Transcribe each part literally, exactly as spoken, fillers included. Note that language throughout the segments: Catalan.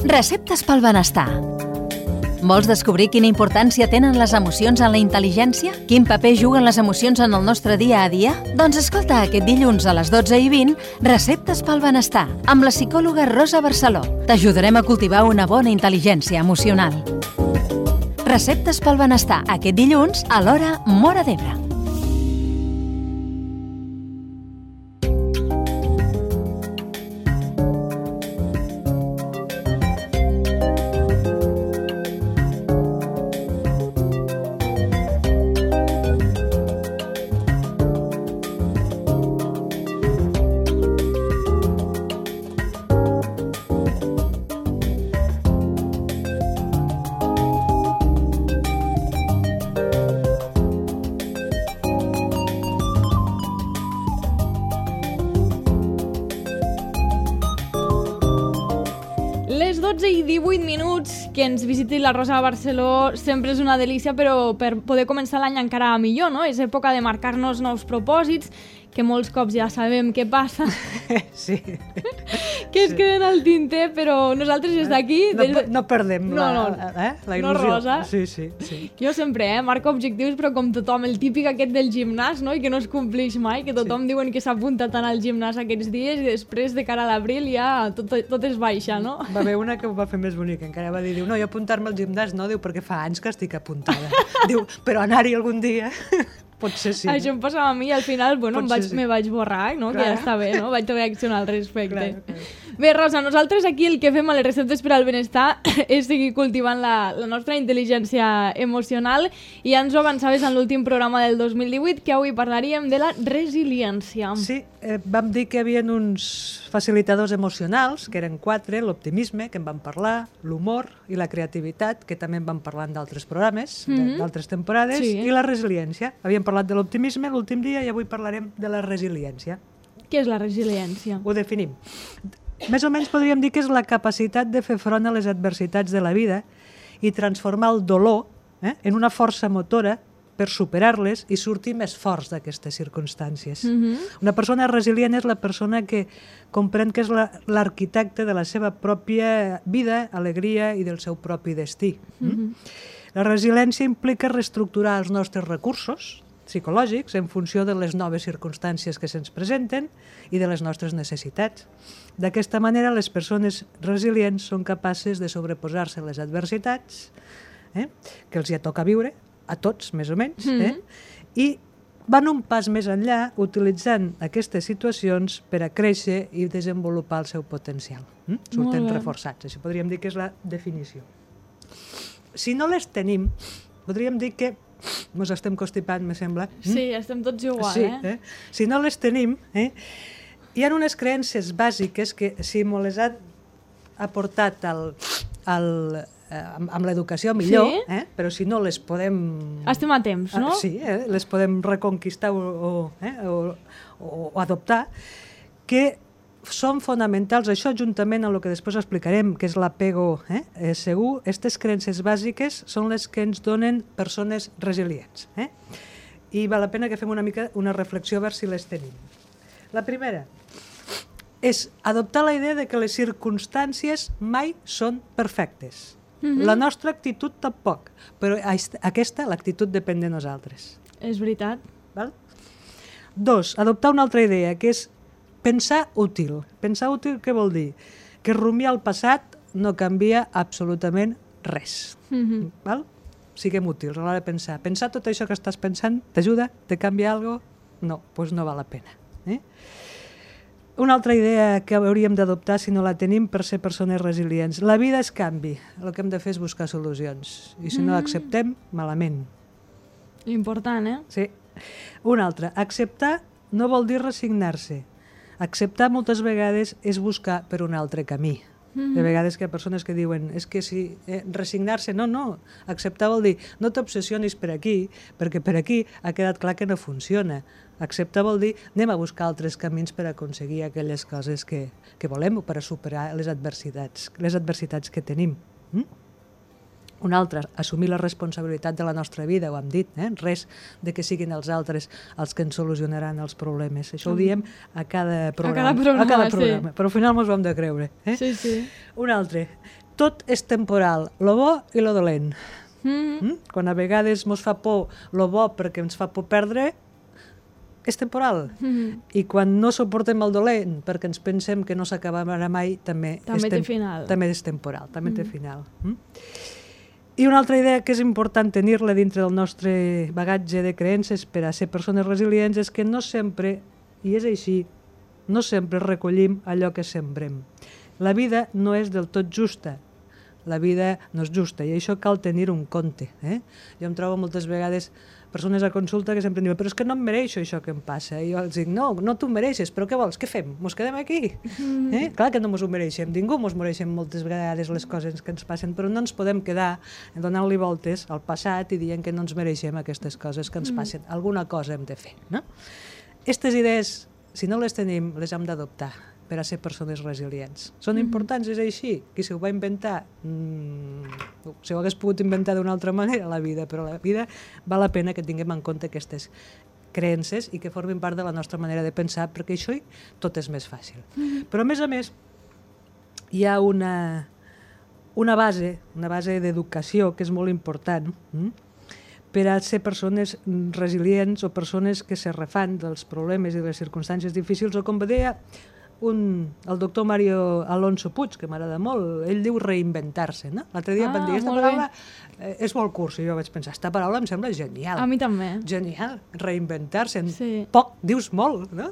Receptes pel benestar. Vols descobrir quina importància tenen les emocions en la intel·ligència? Quin paper juguen les emocions en el nostre dia a dia? Doncs escolta aquest dilluns a les dotze i vint Receptes pel benestar, amb la psicòloga Rosa Barceló. T'ajudarem a cultivar una bona intel·ligència emocional. Receptes pel benestar, aquest dilluns a l'hora Móra d'Ebre. dotze i divuit minuts, que ens visiti la Rosa Barceló sempre és una delícia, però per poder començar l'any encara millor, no? És època de marcar-nos nous propòsits, que molts cops ja sabem què passa. Sí. Que es sí. queden al tinter, però nosaltres des d'aquí... No, des... no perdem no, no, la, eh? la il·lusió. No, Rosa. Sí, sí, sí. Jo sempre eh, marco objectius, però com tothom, el típic aquest del gimnàs, no? I que no es compleix mai, que tothom sí. diuen que s'apunta tant al gimnàs aquests dies i després de cara a l'abril ja tot, tot es baixa, no? Va haver una que ho va fer més bonic, encara va dir, diu, no, jo apuntar-me al gimnàs no, diu, perquè fa anys que estic apuntada. Diu, però anar-hi algun dia... Potser sí. Això em passava a mi i al final, bueno, em vaig, sí. me vaig borrar, no? Que ja està bé, no? Vaig reaccionar al respecte. Clar, clar. Bé, Rosa, nosaltres aquí el que fem a les receptes per al benestar és seguir cultivant la, la nostra intel·ligència emocional i ja ens ho avançaves en l'últim programa del dos mil divuit que avui parlaríem de la resiliència. Sí, eh, vam dir que hi havia uns facilitadors emocionals, que eren quatre, l'optimisme, que en vam parlar, l'humor i la creativitat, que també en vam parlar en d'altres programes, mm-hmm. d'altres temporades, sí. i la resiliència. Havíem parlat de l'optimisme l'últim dia i avui parlarem de la resiliència. Què és la resiliència? Ho definim. Més o menys podríem dir que és la capacitat de fer front a les adversitats de la vida i transformar el dolor eh, en una força motora per superar-les i sortir més forts d'aquestes circumstàncies. Mm-hmm. Una persona resilient és la persona que comprèn que és la, l'arquitecte de la seva pròpia vida, alegria i del seu propi destí. Mm-hmm. La resiliència implica reestructurar els nostres recursos psicològics en funció de les noves circumstàncies que se'ns presenten i de les nostres necessitats. D'aquesta manera, les persones resilients són capaces de sobreposar-se a les adversitats eh, que els hi toca viure, a tots, més o menys, eh, mm-hmm. i van un pas més enllà utilitzant aquestes situacions per a créixer i desenvolupar el seu potencial. Eh? Surten reforçats. Això podríem dir que és la definició. Si no les tenim, podríem dir que ens estem constipant, me sembla. Sí, estem tots igual, sí, eh? eh? Si no les tenim, eh? hi ha unes creences bàsiques que si me les ha aportat el, el, eh, amb, amb l'educació millor, sí? eh? Però si no les podem... Estem a temps, no? Ah, sí, eh? les podem reconquistar o, o, eh? o, o, o adoptar, que són fonamentals, això juntament amb el que després explicarem, que és l'apego eh? eh, segur, aquestes creences bàsiques són les que ens donen persones resilients. Eh? I val la pena que fem una mica una reflexió a veure si les tenim. La primera és adoptar la idea de que les circumstàncies mai són perfectes. Mm-hmm. La nostra actitud tampoc, però aquesta, l'actitud depèn de nosaltres. És veritat. Val? Dos, adoptar una altra idea, que és pensar útil. Pensar útil què vol dir? Que rumiar el passat no canvia absolutament res. Mm-hmm. Val? Siguem útils a l'hora de pensar. Pensar tot això que estàs pensant t'ajuda? Te canvia alguna cosa? No, doncs no val la pena. Eh? Una altra idea que hauríem d'adoptar si no la tenim per ser persones resilients. La vida és canvi. El que hem de fer és buscar solucions. I si mm. no l'acceptem, malament. Important, eh? Sí. Una altra. Acceptar no vol dir resignar-se. Acceptar moltes vegades és buscar per un altre camí. Mm-hmm. De vegades que hi ha persones que diuen és que si eh, resignar-se, no, no. Acceptar vol dir no t'obsessionis per aquí, perquè per aquí ha quedat clar que no funciona. Acceptar vol dir anem a buscar altres camins per aconseguir aquelles coses que, que volem o per a superar les adversitats, les adversitats que tenim. Mm? Una altra, assumir la responsabilitat de la nostra vida, ho hem dit, eh? Res de que siguin els altres els que ens solucionaran els problemes. Això ho diem a cada programa. A cada programa, a cada programa. Sí. Però al final ens ho hem de creure. Eh? Sí, sí. Un altre, tot és temporal, lo bo i lo dolent. Mm-hmm. Mm? Quan a vegades ens fa por lo bo perquè ens fa por perdre, és temporal. Mm-hmm. I quan no suportem el dolent perquè ens pensem que no s'acabarà mai, també, també és, té final. També és temporal, també mm. té final. Mm? I una altra idea que és important tenir-la dintre del nostre bagatge de creences per a ser persones resilients és que no sempre, i és així, no sempre recollim allò que sembrem. La vida no és del tot justa. La vida no és justa i això cal tenir un compte. Eh? Jo em trobo moltes vegades persones a consulta que sempre em diuen però és que no em mereixo això que em passa. I jo els dic, no, no t'ho mereixes, però què vols? Què fem? Mos quedem aquí? Mm. Eh? Clar que no mos ho mereixem, ningú mos mereixem moltes vegades les coses que ens passen, però no ens podem quedar donant-li voltes al passat i dient que no ens mereixem aquestes coses que ens passen. Mm. Alguna cosa hem de fer. No? Aquestes idees, si no les tenim, les hem d'adoptar per a ser persones resilients. Són importants, és així. Qui se ho va inventar? Mm, se ho hagués pogut inventar d'una altra manera, la vida, però la vida val la pena que tinguem en compte aquestes creences i que formin part de la nostra manera de pensar, perquè això tot és més fàcil. Mm-hmm. Però, a més a més, hi ha una, una base, una base d'educació que és molt important, mm? per a ser persones resilients o persones que se refan dels problemes i de les circumstàncies difícils, o com deia un, el doctor Mario Alonso Puig, que m'agrada molt, ell diu reinventar-se. No? L'altre dia ah, van dir, aquesta paraula eh, és molt cursa, i jo vaig pensar, aquesta paraula em sembla genial. A mi també. Genial, reinventar-se. En sí. poc dius molt, no?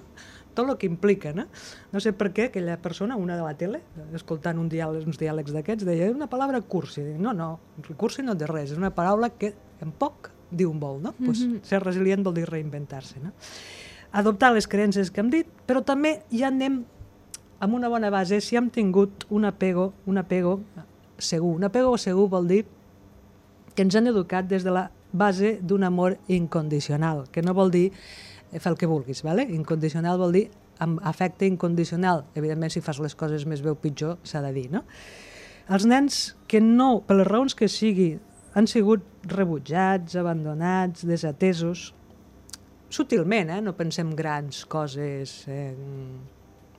Tot el que implica. No? No sé per què aquella persona, una de la tele, escoltant un diàleg, uns diàlegs d'aquests, deia, és una paraula cursi. No, no, cursi no té res, és una paraula que en poc diu molt. No? Mm-hmm. Pues, ser resilient vol dir reinventar-se. No? Adoptar les creences que hem dit, però també ja anem amb una bona base si hem tingut un apego, un apego segur. Un apego segur vol dir que ens han educat des de la base d'un amor incondicional, que no vol dir fer el que vulguis, ¿vale? Incondicional vol dir amb afecte incondicional. Evidentment, si fas les coses més bé o pitjor, s'ha de dir, no? Els nens que no, per les raons que sigui, han sigut rebutjats, abandonats, desatesos, sutilment, eh? No pensem grans coses eh,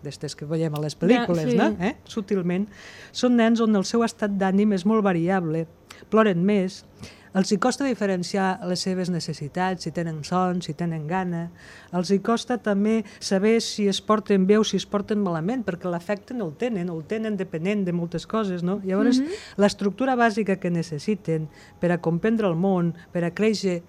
d'estes que veiem a les pel·lícules, ja, sí. no? Eh? Sutilment. Són nens on el seu estat d'ànim és molt variable, ploren més, els hi costa diferenciar les seves necessitats, si tenen son, si tenen gana. Els hi costa també saber si es porten bé o si es porten malament, perquè l'afecte no el tenen, o el tenen depenent de moltes coses, no? Llavors, mm-hmm. l'estructura bàsica que necessiten per a comprendre el món, per a créixer,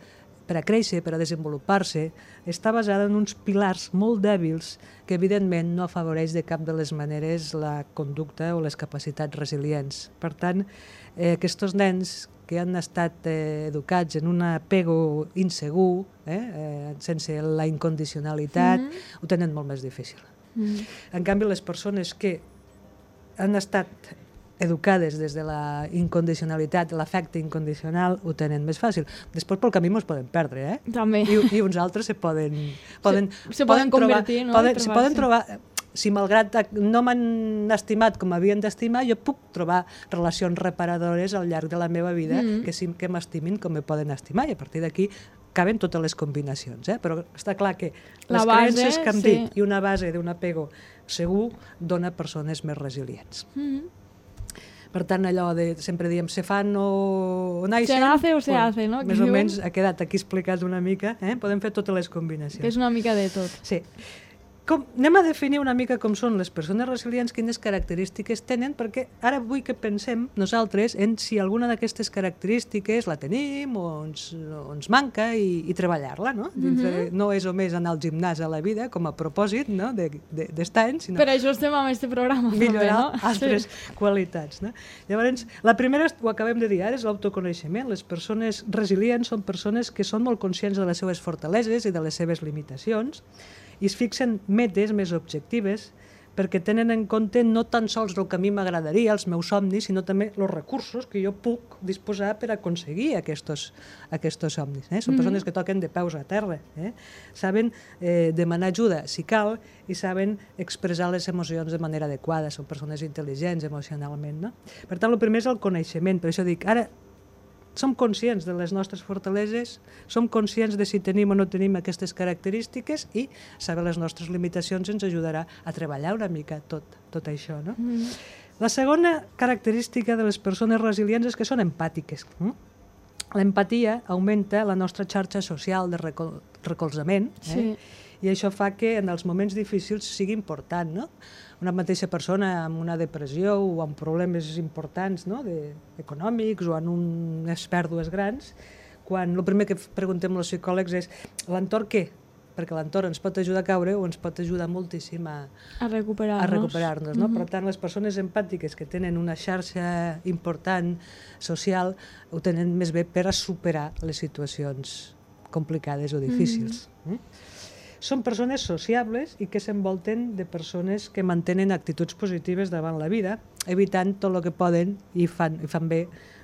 per a créixer, per a desenvolupar-se, està basada en uns pilars molt dèbils que, evidentment, no afavoreix de cap de les maneres la conducta o les capacitats resilients. Per tant, eh, aquests nens que han estat eh, educats en un apego insegur, eh, eh, sense la incondicionalitat, mm-hmm. ho tenen molt més difícil. Mm-hmm. En canvi, les persones que han estat educades des de la incondicionalitat, l'afecte incondicional, ho tenen més fàcil. Després pel camí ens poden perdre, eh? També. I, i uns altres se poden... poden se, se poden, poden convertir, trobar, no? Poden, se poden trobar... Si malgrat no m'han estimat com havien d'estimar, jo puc trobar relacions reparadores al llarg de la meva vida mm-hmm. que sí que m'estimin com me poden estimar, i a partir d'aquí caben totes les combinacions, eh? Però està clar que la les base, creences que hem sí. dit i una base d'un apego segur dona persones més resilients. Mm-hmm. Per tant, allò de, sempre diem, se fan o, o naixen... Se nace o se pues, hace, no? Més o menys ha quedat aquí explicat una mica, eh? Podem fer totes les combinacions. Que és una mica de tot. Sí. Com, anem a definir una mica com són les persones resilients, quines característiques tenen, perquè ara vull que pensem nosaltres en si alguna d'aquestes característiques la tenim o ens, o ens manca i, i treballar-la, no? Mm-hmm. No és només anar al gimnàs a la vida com a propòsit, no? d'estar de, de, anys, sinó per això estem amb aquest programa. Millorar també, no? altres sí. qualitats. No? Llavors, la primera, ho acabem de dir ara, és l'autoconeixement. Les persones resilients són persones que són molt conscients de les seves fortaleses i de les seves limitacions, i es fixen metes més objectives perquè tenen en compte no tan sols el que a mi m'agradaria, els meus somnis, sinó també els recursos que jo puc disposar per aconseguir aquests, aquests somnis. Eh? Són mm-hmm. persones que toquen de peus a terra. Eh? Saben eh, demanar ajuda si cal i saben expressar les emocions de manera adequada. Són persones intel·ligents emocionalment. No? Per tant, el primer és el coneixement. Per això dic, ara som conscients de les nostres fortaleses, som conscients de si tenim o no tenim aquestes característiques i saber les nostres limitacions ens ajudarà a treballar una mica tot, tot això. No? Mm. La segona característica de les persones resilients és que són empàtiques. L'empatia augmenta la nostra xarxa social de recol recolzament, eh? Sí. I això fa que en els moments difícils sigui important, no? Una mateixa persona amb una depressió o amb problemes importants, no? de, econòmics o en unes pèrdues grans, quan el primer que preguntem als psicòlegs és l'entorn què? Perquè l'entorn ens pot ajudar a caure o ens pot ajudar moltíssim a, a recuperar-nos. A recuperar-nos, no? Mm-hmm. Per tant, les persones empàtiques que tenen una xarxa important social ho tenen més bé per a superar les situacions complicades o difícils. Mm-hmm. Mm? Són persones sociables i que s'envolten de persones que mantenen actituds positives davant la vida, evitant tot el que poden i fan, i fan bé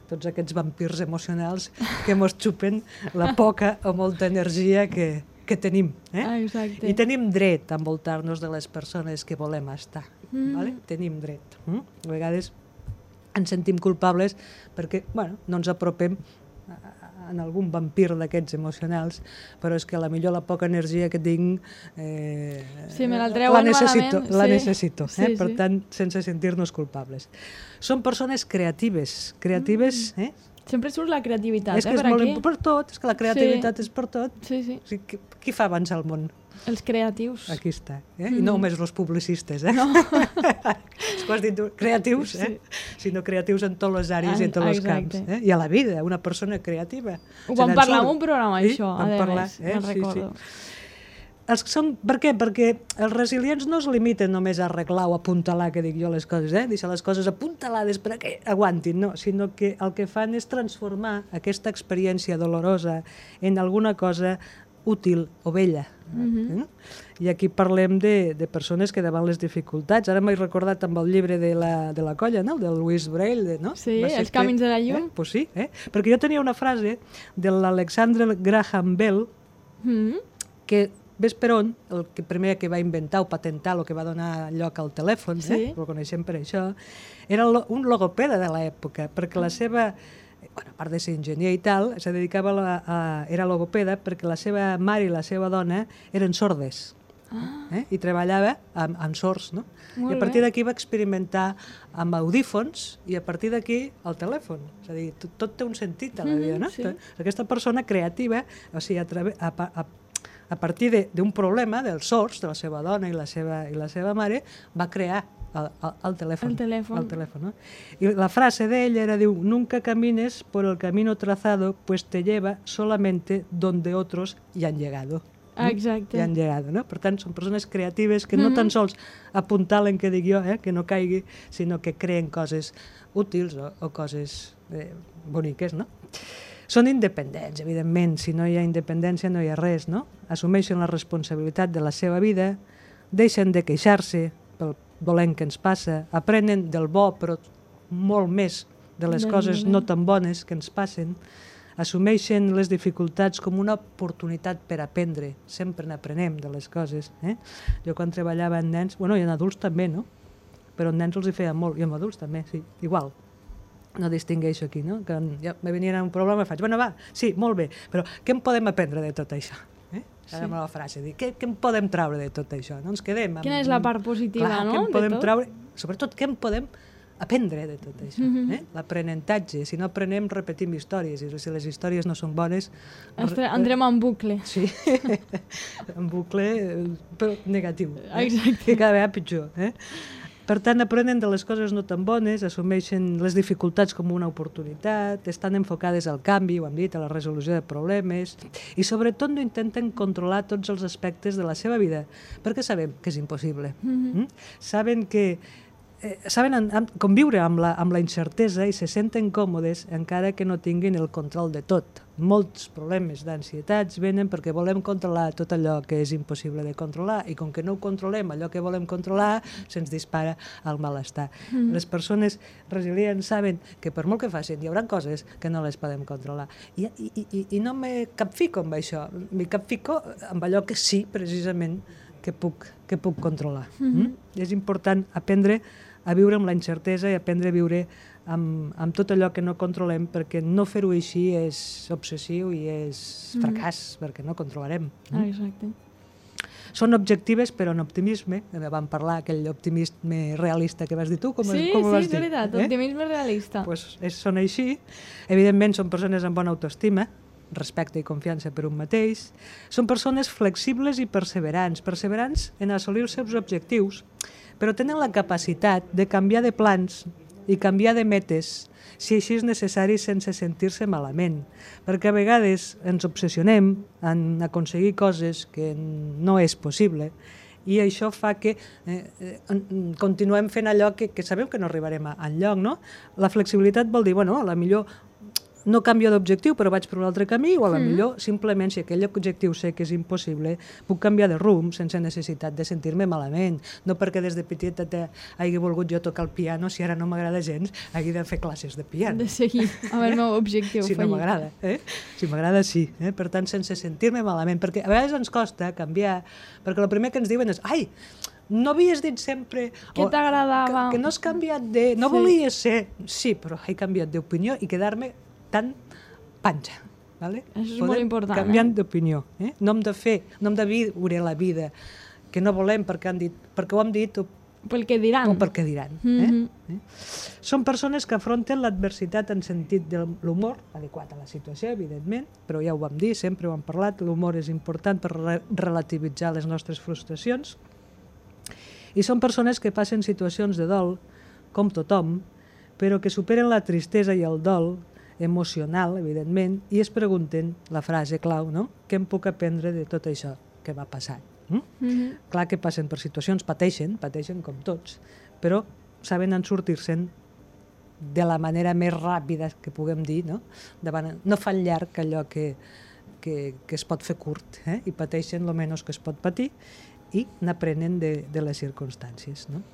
tots aquests vampirs emocionals que mos xupen la poca o molta energia que, que tenim. Eh? Ah, exacte. I tenim dret a envoltar-nos de les persones que volem estar. Mm. Vale? Tenim dret. Mm? A vegades ens sentim culpables perquè bueno, no ens apropem en algun vampir d'aquests emocionals, però és que a la millor la poca energia que tinc eh, sí, me la treuen la necessito, malament. la sí. necessito eh? Sí, per sí. tant, sense sentir-nos culpables. Són persones creatives, creatives... Mm. Eh? Sempre surt la creativitat, és que eh, és per molt aquí. Per tot, és que la creativitat sí. és per tot. Sí, sí. O sigui, qui, qui fa avançar el món? Els creatius. Aquí està. Eh? Mm. I no només els publicistes, eh? No. És que has dit creatius, eh? Sí. Sinó creatius en tots les àrees ah, i en tots els camps. Eh? I a la vida, una persona creativa. Ho vam parlar en un programa, sí? això, vam a parlar, més, eh? me'n recordo. Sí, sí. Els són, per què? Perquè els resilients no es limiten només a arreglar o a apuntalar, que dic jo, les coses, eh? deixar les coses apuntalades perquè aguantin, no, sinó que el que fan és transformar aquesta experiència dolorosa en alguna cosa útil o bella. Mm-hmm. eh? I aquí parlem de, de persones que davant les dificultats, ara m'he recordat amb el llibre de la, de la colla, no? del Louis Braille, no? Sí, Els camins de la llum. Eh? Pues sí, eh? perquè jo tenia una frase de l'Alexander Graham Bell mm-hmm. que ves per on, el que primer que va inventar o patentar, el que va donar lloc al telèfon, sí. eh? el coneixem per això, era un logopeda de l'època, perquè la seva, bueno, a part de ser enginyer i tal, se dedicava a, la, a, era logopeda perquè la seva mare i la seva dona eren sordes. Ah. Eh? I treballava amb, amb sords, no? Molt I a partir d'aquí va experimentar amb audífons i a partir d'aquí el telèfon. És a dir, tot, tot té un sentit a la vida, no? Mm, sí. Aquesta persona creativa, o sigui, a, través, a, a, a partir d'un problema dels sords, de la seva dona i la seva, i la seva mare, va crear el, el, el telèfon. El telèfon. El telèfon, no? I la frase d'ell era, diu, nunca camines por el camino trazado, pues te lleva solamente donde otros ya han llegado. Exacte. Ja han llegado, no? Per tant, són persones creatives que no tan sols apuntalen, que dic jo, eh, que no caigui, sinó que creen coses útils o, o coses eh, boniques, no? Són independents, evidentment. Si no hi ha independència no hi ha res, no? Assumeixen la responsabilitat de la seva vida, deixen de queixar-se pel dolent que ens passa, aprenen del bo, però molt més de les coses no tan bones que ens passen, assumeixen les dificultats com una oportunitat per aprendre. Sempre n'aprenem de les coses. Eh? Jo quan treballava en nens, bueno, i en adults també, no? Però en nens els hi feia molt, i en adults també, sí, igual. No distingueixo aquí, no? Que ja me venien un problema i faig, bueno, va, sí, molt bé, però què en podem aprendre de tot això? Eh? Ara sí. La frase, dir, què, què en podem traure de tot això? No ens quedem amb... Quina és la part positiva, clar, no? Què en podem traure, sobretot, què en podem aprendre de tot això? Mm-hmm. eh? L'aprenentatge. Si no aprenem, repetim històries, i si les històries no són bones... Estre, entrem en bucle. Sí, en bucle, però negatiu. Eh? Exacte. Que cada vegada pitjor, eh? Per tant, aprenen de les coses no tan bones, assumeixen les dificultats com una oportunitat, estan enfocades al canvi, ho hem dit, a la resolució de problemes, i sobretot no intenten controlar tots els aspectes de la seva vida, perquè sabem que és impossible. Mm-hmm. mm? Saben que eh, saben en, en, conviure amb la, amb la incertesa i se senten còmodes encara que no tinguin el control de tot. Molts problemes d'ansietats venen perquè volem controlar tot allò que és impossible de controlar i com que no ho controlem, allò que volem controlar, se'ns dispara el malestar. Mm. Les persones resilients saben que per molt que facin hi haurà coses que no les podem controlar. I, i, i, i no me capfico amb això, me capfico amb allò que sí, precisament, que puc, que puc controlar. Mm-hmm. Mm? És important aprendre a viure amb la incertesa i aprendre a viure amb, amb tot allò que no controlem, perquè no fer-ho així és obsessiu i és fracàs, mm. perquè no controlarem. Ah, exacte. són objectives però en optimisme. Vam parlar aquell optimisme realista que vas dir tu. Com, sí, com sí, vas és dir? veritat, eh? Optimisme realista. Pues és, són així. Evidentment són persones amb bona autoestima, respecte i confiança per un mateix. Són persones flexibles i perseverants, perseverants en assolir els seus objectius, però tenen la capacitat de canviar de plans i canviar de metes si així és necessari sense sentir-se malament, perquè a vegades ens obsessionem en aconseguir coses que no és possible i això fa que eh, eh, continuem fent allò que, que sabem que no arribarem a enlloc, no? La flexibilitat vol dir, bueno, a la millor no canvio d'objectiu però vaig per un altre camí o a la mm. millor simplement si aquell objectiu sé que és impossible puc canviar de rumb sense necessitat de sentir-me malament, no perquè des de petita hagi volgut jo tocar el piano si ara no m'agrada gens, hagi de fer classes de piano. De seguir amb el meu objectiu si fallit. no m'agrada, eh? Si m'agrada sí, eh? Per tant sense sentir-me malament, perquè a vegades ens costa canviar, perquè el primer que ens diuen és ai, no havies dit sempre que t'agradava, que, que no has canviat de... no sí. volies ser, sí, però he canviat d'opinió i quedar-me tan panxa. Vale? Això és Podem molt important. canviant eh? d'opinió. Eh? No hem de fer, no hem de viure la vida que no volem perquè, han dit, perquè ho hem dit o, pel que diran. o perquè diran. Mm-hmm. eh? Eh? Són persones que afronten l'adversitat en sentit de l'humor, adequat a la situació, evidentment, però ja ho vam dir, sempre ho hem parlat, l'humor és important per re relativitzar les nostres frustracions. I són persones que passen situacions de dol, com tothom, però que superen la tristesa i el dol emocional, evidentment, i es pregunten la frase clau, no? Què em puc aprendre de tot això que va passar? Mm? Mm-hmm. Clar que passen per situacions, pateixen, pateixen com tots, però saben en sortir-se'n de la manera més ràpida que puguem dir, no? Davant, no fan llarg allò que, que, que es pot fer curt, eh? I pateixen el menys que es pot patir i n'aprenen de, de les circumstàncies, no?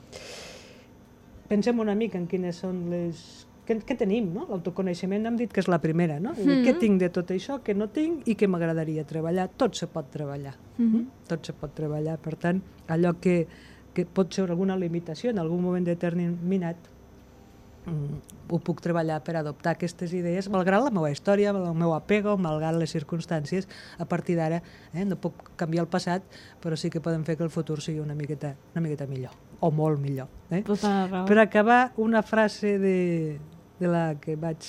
Pensem una mica en quines són les... Què, què tenim, no? L'autoconeixement hem dit que és la primera, no? Mm-hmm. Què tinc de tot això, què no tinc i què m'agradaria treballar. Tot se pot treballar. Mm-hmm. Tot se pot treballar. Per tant, allò que, que pot ser alguna limitació en algun moment determinat, mm, ho puc treballar per adoptar aquestes idees, malgrat la meva història, el meu apego, malgrat les circumstàncies. A partir d'ara, eh, no puc canviar el passat, però sí que podem fer que el futur sigui una miqueta, una miqueta millor, o molt millor. Eh? Per acabar, una frase de... de la que vaig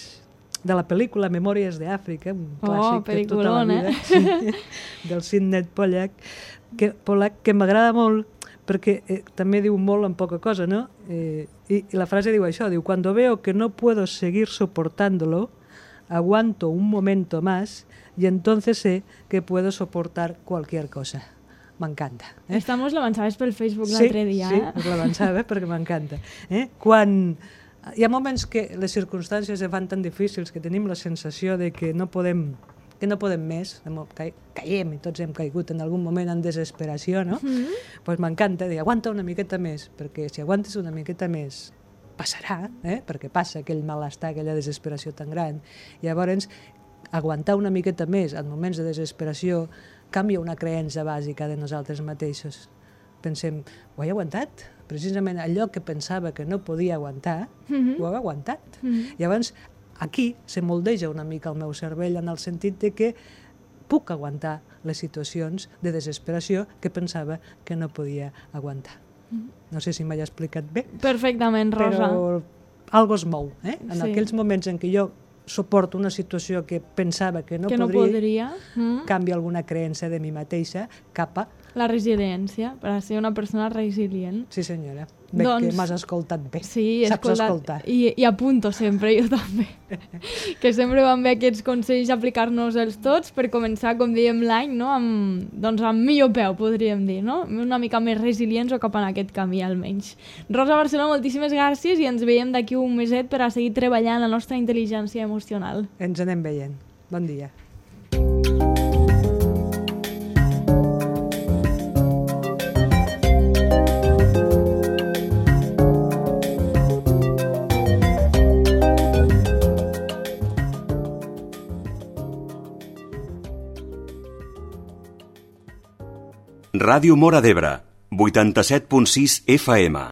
de la pel·lícula Memòries d'Àfrica, un clàssic oh, de tota la vida, eh? del Sidney Pollack, que, Pollack, que m'agrada molt perquè eh, també diu molt en poca cosa, ¿no? Eh, i, i la frase diu això, diu, cuando veo que no puedo seguir soportándolo, aguanto un momento más y entonces sé que puedo soportar cualquier cosa. M'encanta. Eh? Esta mos l'avançaves pel Facebook l'altre dia. Sí, eh? sí, l'avançava perquè m'encanta. Eh? Quan... Hi ha moments que les circumstàncies es fan tan difícils que tenim la sensació de que no podem, que no podem més, caiem i tots hem caigut en algun moment en desesperació, no? Mm-hmm. Pues m'encanta dir, aguanta una miqueta més, perquè si aguantes una miqueta més passarà, eh? Perquè passa aquell malestar, aquella desesperació tan gran. I llavors, aguantar una miqueta més en moments de desesperació canvia una creença bàsica de nosaltres mateixos. Pensem, ho he aguantat? Precisament allò que pensava que no podia aguantar, mm-hmm. ho he aguantat. Mm-hmm. Llavors, aquí se moldeja una mica el meu cervell en el sentit de que puc aguantar les situacions de desesperació que pensava que no podia aguantar. Mm-hmm. No sé si m'he explicat bé. Perfectament, Rosa. Però algo es mou, eh? En sí. aquells moments en què jo suporto una situació que pensava que no que podria, no podria. Mm. canvia alguna creença de mi mateixa cap a... La resiliència, per a ser una persona resilient. Sí, senyora. Veig doncs, que m'has escoltat bé. Sí, saps escoltat, escoltar. I, I apunto sempre, jo també. Que sempre van bé aquests consells aplicar-nos-els tots per començar, com dèiem, l'any, no? amb, doncs amb millor peu, podríem dir, no? Una mica més resilients o cap en aquest camí, almenys. Rosa Barceló, moltíssimes gràcies i ens veiem d'aquí un meset per a seguir treballant la nostra intel·ligència emocional. Ens anem veient. Bon dia. Ràdio Móra d'Ebre, vuitanta-set punt sis F M.